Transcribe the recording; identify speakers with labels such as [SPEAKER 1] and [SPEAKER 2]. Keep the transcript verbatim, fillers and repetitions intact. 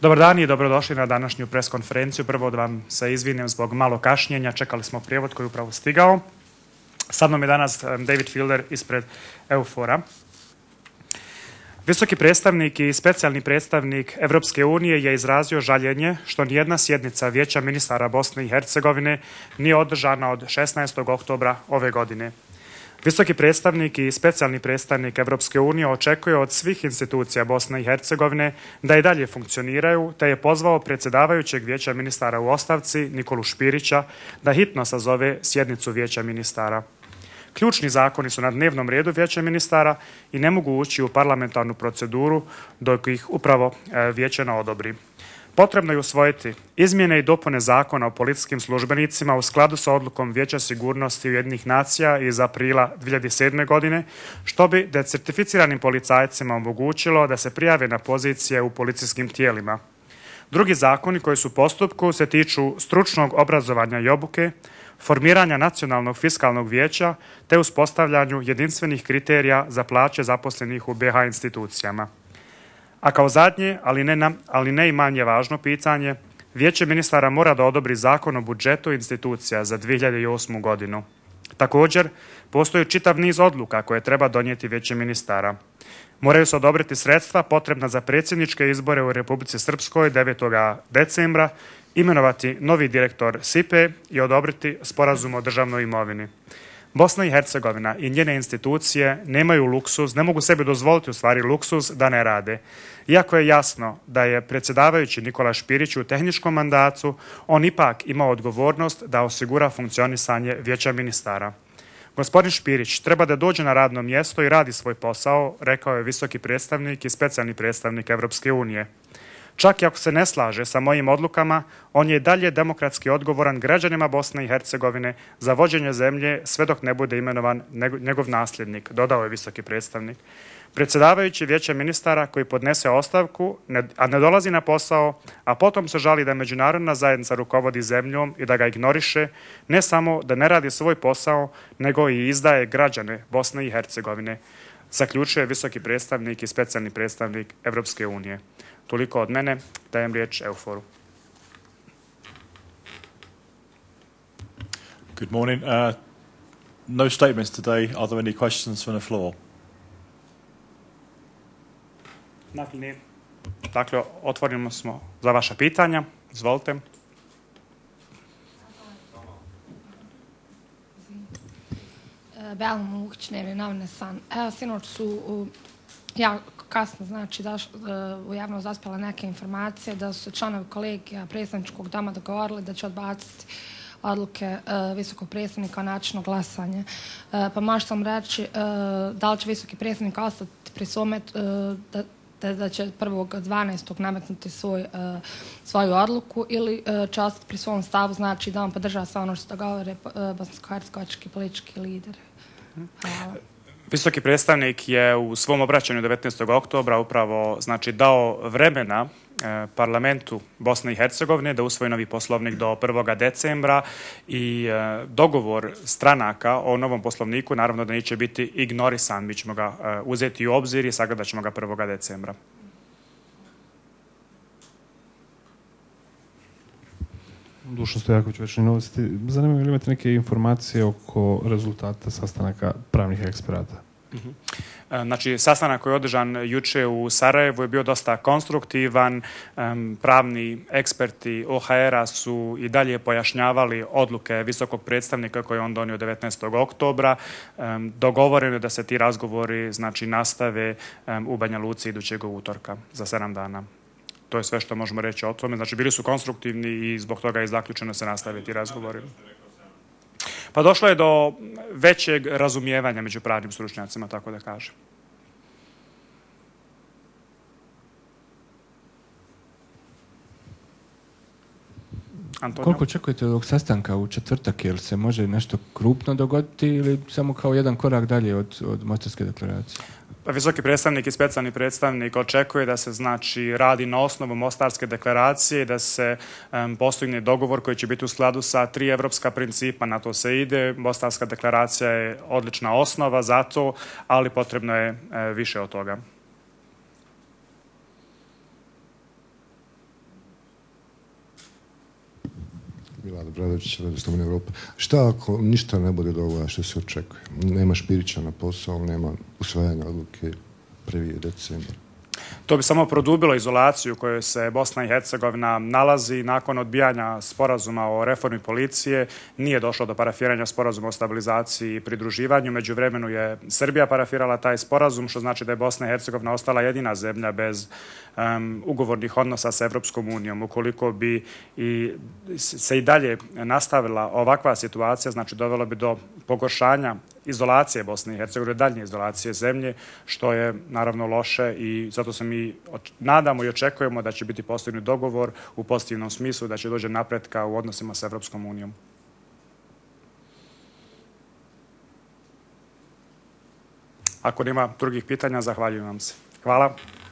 [SPEAKER 1] Dobar dan i dobrodošli na današnju preskonferenciju. Prvo da vam se izvinim zbog malo kašnjenja. Čekali smo prijevod koji je upravo stigao. Sad nam je danas David Fielder ispred EUFOR-a. Visoki predstavnik i specijalni predstavnik Evropske unije je izrazio žaljenje što nijedna sjednica Vijeća ministara Bosne i Hercegovine nije održana od šesnaestog oktobra ove godine. Visoki predstavnik i specijalni predstavnik Evropske unije očekuje od svih institucija Bosne i Hercegovine da i dalje funkcioniraju, te je pozvao predsjedavajućeg Vijeća ministara u ostavci Nikolu Špirića da hitno sazove sjednicu Vijeća ministara. Ključni zakoni su na dnevnom redu Vijeća ministara i ne mogu ući u parlamentarnu proceduru dok ih upravo Vijeće ne odobri. Potrebno je usvojiti izmjene i dopune zakona o policijskim službenicima u skladu sa odlukom Vijeća sigurnosti Ujedinjenih nacija iz aprila dvije hiljade sedme. godine, što bi decertificiranim policajcima omogućilo da se prijave na pozicije u policijskim tijelima. Drugi zakoni koji su u postupku se tiču stručnog obrazovanja i obuke, formiranja nacionalnog fiskalnog vijeća te uspostavljanju jedinstvenih kriterija za plaće zaposlenih u be ha institucijama. A kao zadnje, ali ne, ali ne i manje važno pitanje, Vijeće ministara mora da odobri zakon o budžetu institucija za dvije hiljade osmu. godinu. Također, postoji čitav niz odluka koje treba donijeti Vijeće ministara. Moraju se odobriti sredstva potrebna za predsjedničke izbore u Republici Srpskoj devetog decembra, imenovati novi direktor es i pe i odobriti sporazum o državnoj imovini. Bosna i Hercegovina i njene institucije nemaju luksuz, ne mogu sebi dozvoliti u stvari luksuz da ne rade. Iako je jasno da je predsjedavajući Nikola Špirić u tehničkom mandatu, on ipak ima odgovornost da osigura funkcionisanje Vijeća ministara. Gospodin Špirić treba da dođe na radno mjesto i radi svoj posao, rekao je visoki predstavnik i specijalni predstavnik Evropske unije. Čak i ako se ne slaže sa mojim odlukama, on je dalje demokratski odgovoran građanima Bosne i Hercegovine za vođenje zemlje sve dok ne bude imenovan njegov nasljednik, dodao je visoki predstavnik. Predsjedavajući Vijeća ministara koji podnese ostavku, a ne dolazi na posao, a potom se žali da međunarodna zajednica rukovodi zemljom i da ga ignoriše, ne samo da ne radi svoj posao, nego i izdaje građane Bosne i Hercegovine, zaključuje visoki predstavnik i specijalni predstavnik Evropske unije. Toliko od mene, dajem riječ EUFOR-u.
[SPEAKER 2] Good morning. Uh, no statements today. Are there any questions from the floor?
[SPEAKER 1] Dakle, dakle, otvorimo smo za vaša pitanja. Izvolite.
[SPEAKER 3] Bela Muhić, Dnevni novine San. Evo, sinoć su jako kasno, znači, da u javnost zaspjela neke informacije da su članovi kolegija predstavničkog doma dogovorili da će odbaciti odluke visokog predstavnika o načinu glasanja. Pa možete vam reći da li će visoki predstavnik ostati pri svome da Da, da će prvog dvanaestog nametnuti svoj, uh, svoju odluku ili uh, će ostati pri svom stavu, znači da on podržava sve ono što govore uh, bosansko-hercegovački politički lideri. Hvala.
[SPEAKER 1] Visoki predstavnik je u svom obraćanju devetnaestog oktobra upravo znači, dao vremena eh, parlamentu Bosne i Hercegovine da usvoji novi poslovnik do prvog decembra i eh, dogovor stranaka o novom poslovniku naravno da neće biti ignorisan. Mi ćemo ga eh, uzeti u obzir i sagledat ćemo ga prvog decembra.
[SPEAKER 4] Dušan Stojaković, Večernje novosti. Zanima me li imate neke informacije oko rezultata sastanaka pravnih eksperata?
[SPEAKER 1] Uh-huh. Znači, sastanak koji je održan juče u Sarajevu je bio dosta konstruktivan. Um, pravni eksperti o ha era su i dalje pojašnjavali odluke visokog predstavnika koje je on donio devetnaestog oktobra. Um, dogovoreno je da se ti razgovori znači, nastave um, u Banja Luci idućeg utorka za sedam dana. To je sve što možemo reći o tome. Znači, bili su konstruktivni i zbog toga je zaključeno se nastaviti razgovori. Pa došlo je do većeg razumijevanja među pravnim stručnjacima, tako da kažem. Antonio?
[SPEAKER 5] Koliko očekujete od ovog sastanka u četvrtak? Jel se može nešto krupno dogoditi ili samo kao jedan korak dalje od, od Mostarske deklaracije?
[SPEAKER 1] Visoki predstavnik i specijalni predstavnik očekuje da se znači radi na osnovu Mostarske deklaracije i da se um, postigne dogovor koji će biti u skladu sa tri evropska principa. Na to se ide. Mostarska deklaracija je odlična osnova za to, ali potrebno je e, više od toga.
[SPEAKER 6] Milad Bradović, Radio Slobodna Europa. Šta ako ništa ne bude do ovoga što se očekuje? Nema Špirića na posao, nema usvajanja odluke prvi decembar.
[SPEAKER 1] To bi samo produbilo izolaciju u kojoj se Bosna i Hercegovina nalazi. Nakon odbijanja sporazuma o reformi policije nije došlo do parafiranja sporazuma o stabilizaciji i pridruživanju. Međuvremenu je Srbija parafirala taj sporazum, što znači da je Bosna i Hercegovina ostala jedina zemlja bez um, ugovornih odnosa sa Evropskom unijom. Ukoliko bi i se i dalje nastavila ovakva situacija, znači dovelo bi do pogoršanja izolacije Bosne i Hercegovine, daljnje izolacije zemlje, što je naravno loše i zato se mi nadamo i očekujemo da će biti postignut dogovor u pozitivnom smislu, da će doći napretka u odnosima sa Evropskom unijom. Ako nema drugih pitanja, zahvaljujem vam se. Hvala.